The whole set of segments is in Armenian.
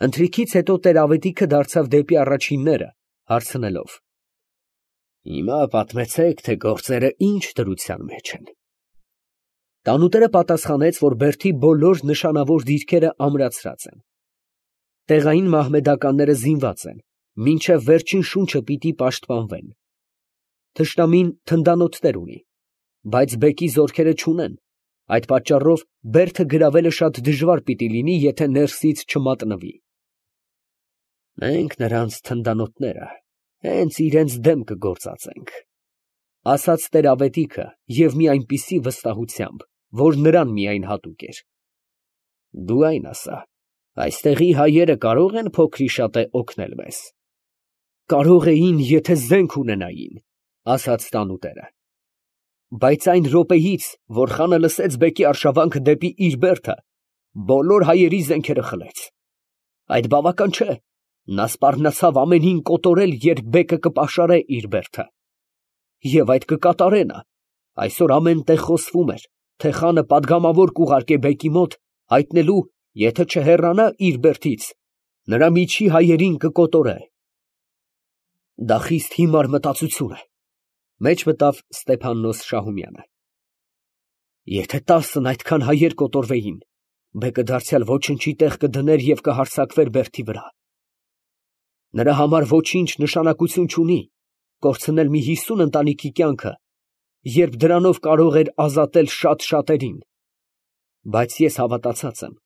Ընթրիքից հետո տեր֊ավետիքը դարձավ դեպի առաջինները, հարցնելով. Հիմա պատմեցեք, թե գործերը ինչ դրության մեջ են։ Տանուտերը պատասխանեց, որ բերդի բոլոր նշանավոր դիրքերը ամրացրած են։ Տեղային մահմեդականները զինված են, մինչև վերջին շունչը պիտի պաշտպանվեն։ Թշնամին թնդանոթներ ունի, բայց բեկի զորքերը չունեն, այդ պատճառով բերդը գրավելը շատ դժվար պիտի լինի, եթե ներսից չմատնվի։ Մենք նրանց թնդանոթները հենց իրենց դեմ կգործածենք, ասաց տեր֊ավետիքը և մի այնպիսի վստահությամբ, որ նրան միայն հատուկ էր։ Դու այն ասա, այստեղի հայերը կարող են փոքրիշատե օգնել մեզ։ Կարող էին, եթե զենք ունենային, ասաց տանուտերը։ Բայց այն րոպեից, որ խանը լսեց բեկի արշավանքը դեպի իր բերդը, բոլոր հայերի զենքերը խլեց։ Այդ բավական չէ, նա սպառնացավ ամենին կոտորել, երբ բեկը կպաշարե իր բերդը։ Եվ այդ կկատարե նա։ Այսօր ամեն տեղ խոսվում էր, թե խանը պատգամավոր կուղարկե բեկի մոտ, հայտնելու, եթե չհեռանա իր բերդից, նրա միջի հայերին կկոտորե։ Դա խիստ հիմար մտածություն է, մեջ մտավ Ստեփաննոս Շահումյանը։ Եթե 10-ն այդքան հայեր կոտորվեին, բեկը դարձյալ ոչնչի տեղ կդներ և կհարձակվեր բերդի վրա։ Նրա համար ոչինչ նշանակություն չունի կորցնել մի 50 ընտանիքի կյանքը, երբ դրանով կարող էր ազատել շատ շատերին։ Բայց ես հավատացած եմ,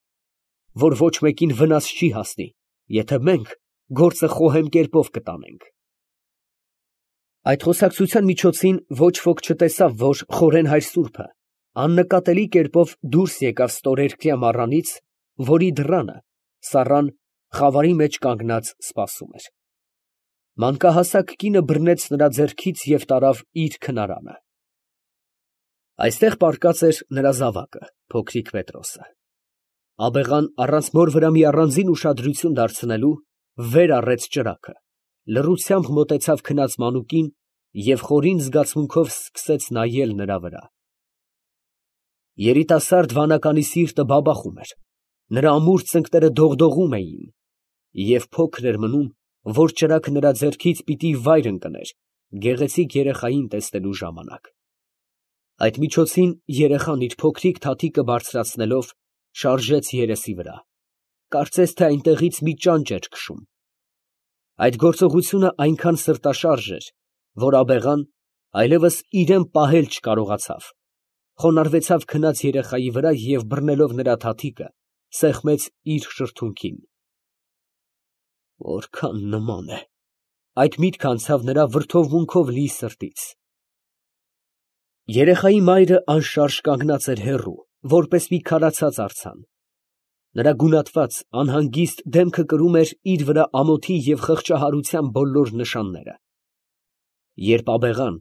որ ոչ մեկին վնաս չի հասնի, եթե մենք գործը խոհեմ կերպով կտանենք։ Այդ խոսակցության միջոցին ոչ ոք չտեսավ, որ Խորեն հայր սուրբը աննկատելի կերպով դուրս եկավ ստորերկրյա մառանից, որի դռանը Սառան խավարի մեջ կանգնած սպասում էր։ Մանկահասակ կինը բռնեց նրա ձեռքից և տարավ իր քնարանը։ Այստեղ պառկած էր նրա զավակը, փոքրիկ Պետրոսը։ Աբեղան առանց մոր վրա մի առանձին ուշադրություն դարձնելու, վեր առեց ճրագը, լռությամբ մոտեցավ քնած մանուկին և խորին զգացմունքով սկսեց նայել նրա վրա։ Երիտասարդ վանականի սիրտը բաբախում էր, նրա ամուր ծնկները դողդողում էին, և փոքր էր մնում, որ ճրագը նրա ձեռքից պիտի վայր ընկներ գեղեցիկ երեխային տեսնելու ժամանակ։ Այդ միջոցին երեխան իր փոքրիկ թաթիկը բարձրացնելով շարժեց երեսի վրա, կարծես թե այնտեղից մի ճանճ էր քշում։ Այդ գործողությունը այնքան սրտաշարժ էր, որ աբեղան այլևս իրան պահել չկարողացավ, խոնարհվեցավ քնած երեխայի վրա և բռնելով նրա թաթիկը, սեղմեց իր շրթունքին։ Որքան նման է, այդ միտքը անցավ նրա վրդովմունքով լի սրտից։ Երեխայի մայրը անշարժ կանգնած էր հեռու, որպես մի քարացած արձան։ Նրա գունատված, անհանգիստ դեմքը կրում էր իր վրա ամոթի և խղճահարության բոլոր նշանները։ Երբ աբեղան,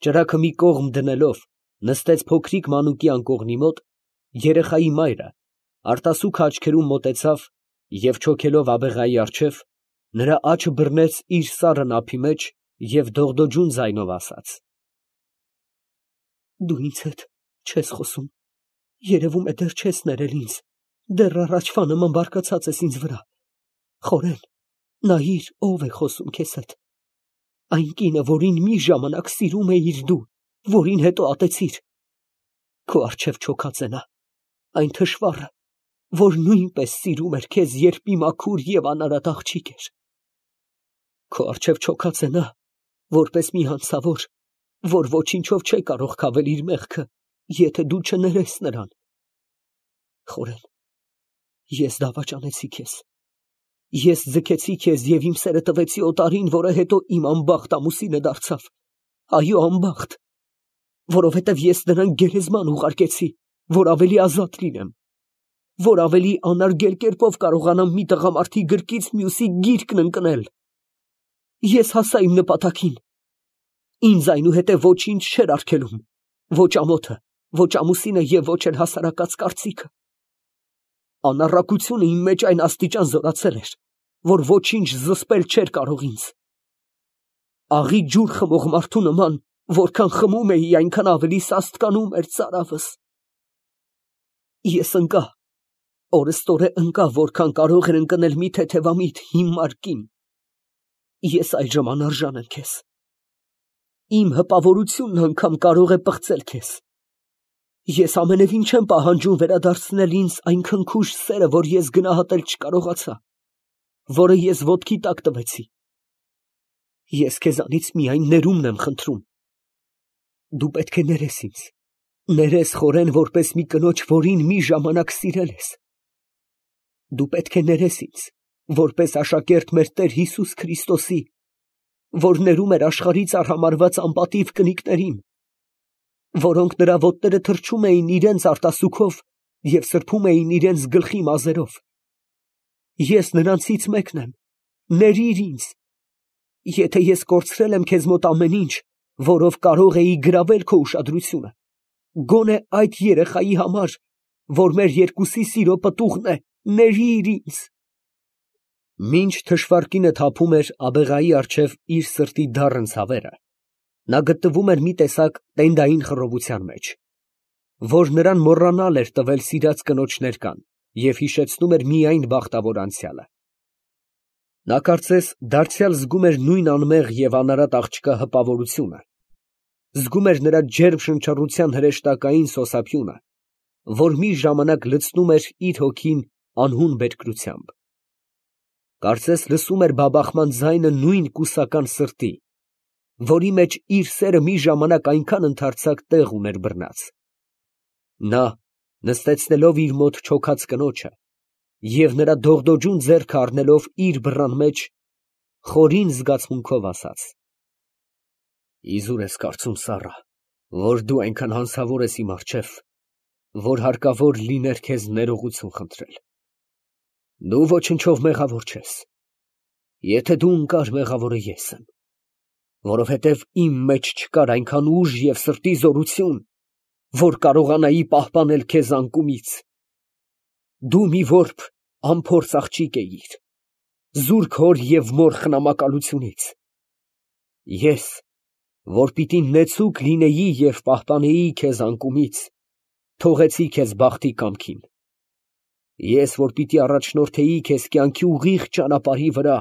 ճրագը մի կողմ դնելով, նստեց փոքրիկ մանուկի անկողնի մոտ, երեխայի մայրը արտասուք աչքերում մոտեցավ և չոքելով աբեղայի առջև, նրա աչը բռնեց իր սառն ափի մեջ և դողդոջուն ձայնով ասաց. Դու ինձ հետ չես խոսում, երևում է դեռ չես ներել ինձ, դեռ առաջվա նման բարկացած ես ինձ վրա։ Խորեն, նայիր, ով է խոսում քեզ հետ։ Այն կինը, որին մի ժամանակ սիրում էիր դու, որին հետո ատեցիր։ Քո առջև չոքած է նա, այն թշվառը, որ նույնպես սիրում էր քեզ, երբ մի մաքուր և անարատ աղջիկ էր։ Քո առջև չոքած է նա, որպես մի հանցավոր, որ ոչինչով չէ կարող քավել իր մեղքը, եթե դու չներես նրան։ Խորեն, ես դավաճանեցի քեզ։ Ես ձգեցի քեզ և իմ սերը տվեցի օտարին, որը հետո իմ անբախտ ամուսինը դարձավ։ Այո, անբախտ, որովհետև ես նրան գերեզման ուղարկեցի, որ ավելի ազատ լինեմ, որ ավելի անարգել կերպով կարողանամ մի տղամարդի գրկից մյուսի գիրկն ընկնել։ Ես հասա իմ նպատակին։ Ինձ այնուհետև ոչինչ չէր արգելում, ոչ ամոթը, ոչ ամուսինը և ոչ էլ հասարակած կարծիքը։ Անառակությունը իմ մեջ այն աստիճան զորացել էր, որ ոչինչ զսպել չէր կարող ինձ։ Աղի ջուր խմող մարդու նման, որքան խմում էի, այնքան ավելի սաստկանում էր ծարավս։ Ես ընկա, Օրըստօրե ընկա, որքան կարող էր ընկնել մի թեթևամիտ հիմար կին։ Ես այժմ անարժան եմ քեզ։ Իմ հպավորությունն անգամ կարող է պղծել քեզ։ Ես ամենևին չեմ պահանջում վերադարձնել ինձ այն քնքուշ սերը, որ ես գնահատել չկարողացա, որը ես ոտքի տակ տվեցի։ Ես քեզանից միայն ներումն եմ խնդրում։ Դու պետք է ներես ինձ, ներես խորեն, որպես մի կնոջ, որին մի ժամանակ սիրել ես։ Դու պետք է ներես ինձ, որպես աշակերտ մեր Տեր Հիսուս Քրիստոսի, որ ներում էր աշխարհից արհամարհված անպատիվ կնիկներին, որոնք նրա ոտները թրջում էին իրենց արտասուքով և սրբում էին իրենց գլխի մազերով։ Ես նրանցից մեկն եմ, ներիր ինձ։ Եթե ես կորցրել եմ քեզ մոտ ամեն ինչ, որով կարող էի գրավել քո ուշադրությունը, գոնե այդ երեխայի համար, որ մեր երկուսի սիրո պտուղն է, ներիր ինձ։ Մինչ թշվառկինը թափում էր աբեղայի առջև իր սրտի դառն ցավերը, նա գտնվում էր մի տեսակ տենդային խռովության մեջ, որ նրան մոռանալ էր տվել սիրած կնոջ ներկան և հիշեցնում էր միայն բախտավոր անցյալը։ Նա կարծես դարձյալ զգում էր նույն անմեղ և անարատ աղջկա հպավորությունը, զգում էր նրա ջերմ շնչառության հրեշտակային սոսափյունը, որ մի ժամանակ լցնում էր իր հոգին անհուն բերկրությամբ։ Կարծես լսում էր բաբախման ձայնը նույն կուսական սրտի, որի մեջ իր սերը մի ժամանակ այնքան ընդարձակ տեղ ուներ բռնած։ Նա, նստեցնելով իր մոտ չոքած կնոջը և նրա դողդոջուն ձեռքը առնելով իր բռան մեջ, խորին զգացմունքով ասաց. Իզուր ես կարծում, Սառա, որ դու այնքան հանցավոր ես իմ առջև, որ հարկավոր լիներ քեզ ներողություն խնդրել։ Դու ոչնչով մեղավոր չես։ Եթե դու ընկար, մեղավորը ես եմ, որովհետև իմ մեջ չկար այնքան ուժ և սրտի զորություն, որ կարողանայի պահպանել քեզ անկումից։ Դու մի որբ անփորձ աղջիկ էիր, զուրկ հոր և մոր խնամակալությունից։ Ես, որ պիտի նեցուկ լինեի և պահպանեի քեզ անկումից, թողեցի քեզ բախտի կամքին։ Ես, որ պիտի առաջնորդեի քեզ կյանքի ուղիղ ճանապարհի վրա,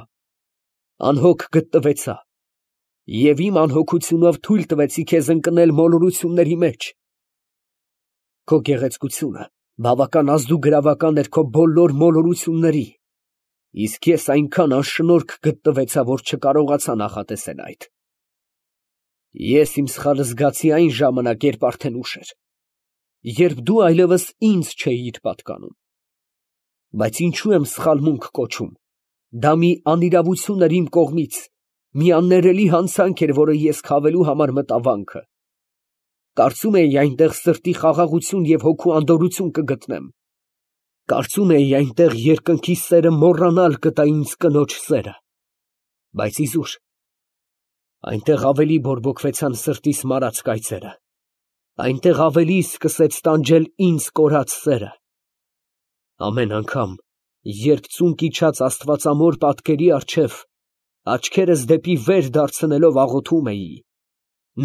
անհոգ գտնվեցա և իմ անհոգությունով թույլ տվեցի քեզ ընկնել մոլորությունների մեջ։ Քո գեղեցկությունը բավական ազդուգրավական էր քո բոլոր մոլորությունների, իսկ ես այնքան անշնորհք գտնվեցա, որ չկարողացա նախատեսել այդ։ Ես իմ սխալը զգացի այն ժամանակ, երբ արդեն ուշ էր, երբ դու այլևս ինձ չէիր պատկանում։ Բայց ինչու եմ սխալմունք կոչում, դա մի անիրավություն էր իմ կողմից, մի աններելի հանցանք էր, որը ես քավելու համար մտա վանքը։ Կարծում էի այնտեղ սրտի խաղաղություն և հոգու անդորրություն կգտնեմ։ Կարծում էի այնտեղ երկնքի սերը մոռանալ կտա ինձ կնոջ սերը։ Բայց իզուր, այնտեղ ավելի բորբոքվեցան սրտիս մարած կայծերը, այնտեղ ավելի սկսեց տանջել ինձ կորած սերը։ Ամեն անգամ, երբ ծունկ իջած աստվածամոր պատկերի առջև աչքերս դեպի վեր դարձնելով աղոթում էի,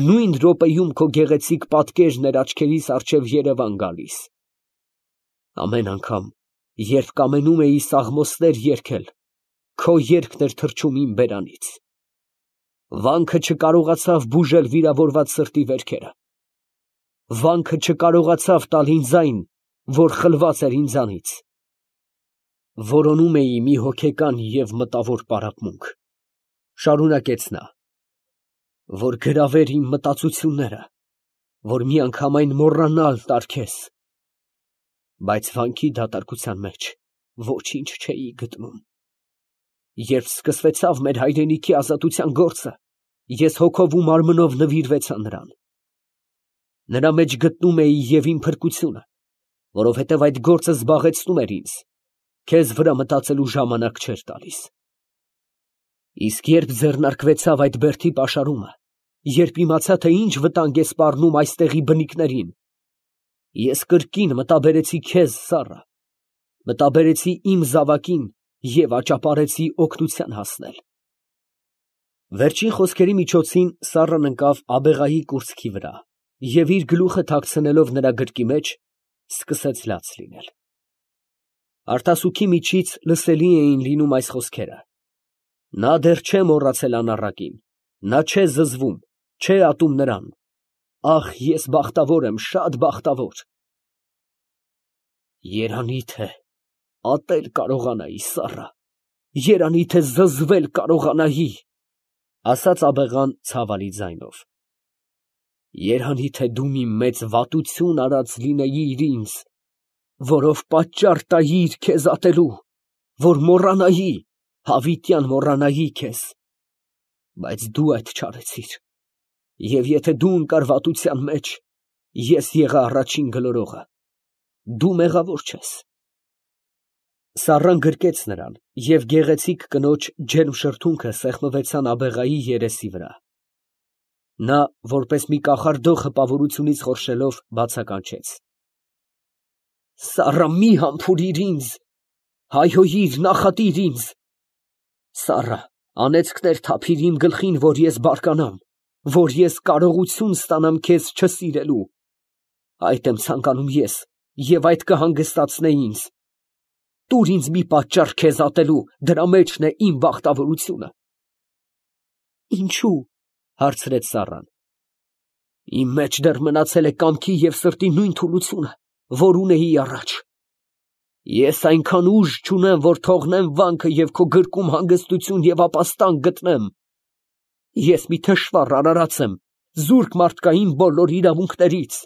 նույն րոպեում քո գեղեցիկ պատկերն էր աչքերիս առջև երևան գալիս։ Ամեն անգամ, երբ կամենում էի սաղմոսներ երգել, քո երգն էր թռչում իմ բերանից։ Վանքը չկարողացավ բուժել վիրավորված սրտի վերքերը։ Վանքը չկարողացավ տալ ինձ այն, որ խլված էր ինձանից։ Որոնում էի մի հոգեկան և մտավոր պարապմունք, շարունակեց նա, որ գրավեր իմ մտածությունները, որ միանգամայն մոռանալ տար քեզ։ Բայց վանքի դատարկության մեջ ոչինչ չէի գտնում։ Երբ սկսվեցավ մեր հայրենիքի ազատության գործը, ես հոգով ու մարմնով նվիրվեցա նրան։ Նրա մեջ գտնում էի և իմ փրկությունը, որովհետև այդ գործը զբաղեցնում էր ինձ, քեզ վրա մտածելու ժամանակ չէր տալիս։ Իսկ երբ ձեռնարկվեցավ այդ բերդի պաշարումը, երբ իմացա, թե ինչ վտանգ է սպառնում այստեղի բնիկներին, ես կրկին մտաբերեցի քեզ, Սառա, մտաբերեցի իմ զավակին և աճապարեցի օգնության հասնել։ Վերջին խոսքերի միջոցին Սառան ընկավ աբեղայի կուրծքի վրա և իր գլուխը թաքցնելով նրա գրկի մեջ, սկսեց լաց լինել։ Արտասուքի միջից լսելի էին լինում այս խոսքերը. նա դեռ չէ մոռացել անառակին, նա չէ զզվում, չէ ատում նրան. ախ, ես բախտավոր եմ, շատ բախտավոր։ Երանի թե ատել կարողանայի, Սառա, երանի թե զզվել կարողանայի, ասաց աբեղան ցավալի ձայնով։ Երանի թե դու մի մեծ վատություն արած լինեիր ինձ, որով պատճառ տայիր քեզ ատելու, որ մոռանայի, հավիտյան մոռանայի քեզ, բայց դու այդ չարեցիր, և եթե դու ընկար վատության մեջ, ես եղա առաջին գլորողը, դու մեղավոր չես։ Սառան գրկեց նրան, և գեղեցիկ կնոջ ջերմ շրթունքը սեղմվեցան աբեղայի երեսի վրա։ Նա, որպես մի կախարդող հպավորությունից խորշելով, բացականչեց. Սառա, մի համբուրիր ինձ, հայհոյիր, նախատիր ինձ, Սառա, անեծքներ թափիր իմ գլխին, որ ես բարկանամ, որ ես կարողություն ստանամ քեզ չսիրելու, այդ եմ ցանկանում ես, և այդ կհանգստացնե ինձ, տուր ինձ մի պատճառ քեզ ատելու, դրա մեջն է իմ բախտավորությունը։ Ինչո՞ւ, հարցրեց Սառան։ Իմ մեջ դեռ մնացել է կամքի և սրտի նույն թուլությունը, որ ունեի առաջ։ Ես այնքան ուժ չունեմ, որ թողնեմ վանքը և քո գրկում հանգստություն և ապաստան գտնեմ։ Ես մի թշվառ արարած եմ, զուրկ մարդկային բոլոր իրավունքներից,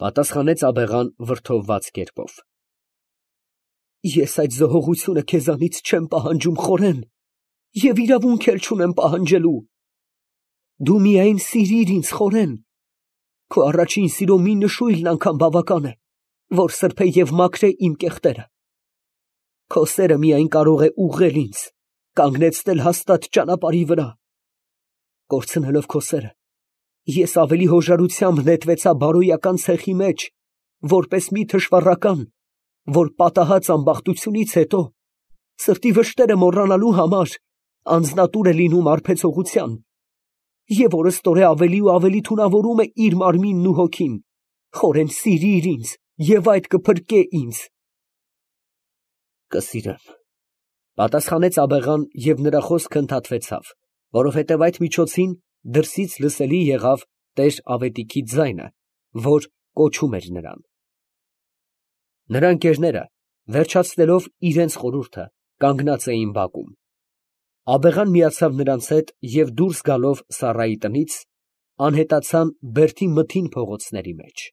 պատասխանեց աբեղան վրդովված կերպով։ Ես այդ զոհողությունը քեզանից չեմ պահանջում, խորեն, և իրավունք էլ չունեմ պահանջելու։ Դու միայն սիրիր ինձ, խորեն, քո առաջին սիրո մի նշույլն անգամ բավական է, որ սրբե և մաքրե իմ կեղտերը։ Քո սերը միայն կարող է ուղղել ինձ, կանգնեցնել հաստատ ճանապարհի վրա։ Կորցնելով քո սերը, ես ավելի հոժարությամբ նետվեցա բարոյական ցեխի մեջ, որպես մի թշվառական, որ պատահած ամբախտությունից հետո սրտի վշտերը մոռանալու համար անձնատուր է լինում արբեցողության, և օրըստօրե ավելի ու ավելի թունավորում է իր մարմինն ու հոգին։ Խորեն սիրիր ինձ, և այդ կփրկե ինձ։ Կսիրեմ, պատասխանեց աբեղան, և նրա խոսքը ընդհատվեցավ, որովհետև այդ միջոցին դրսից լսելի եղավ տեր Ավետիքի ձայնը, որ կոչում էր նրան։ Նրա ընկերները, վերջացնելով իրենց խորհուրդը, կանգնած էին բակում։ Աբեղան միացավ նրանց հետ և դուրս գալով Սառայի տնից, անհետացան Բերդի մթին փողոցների մեջ։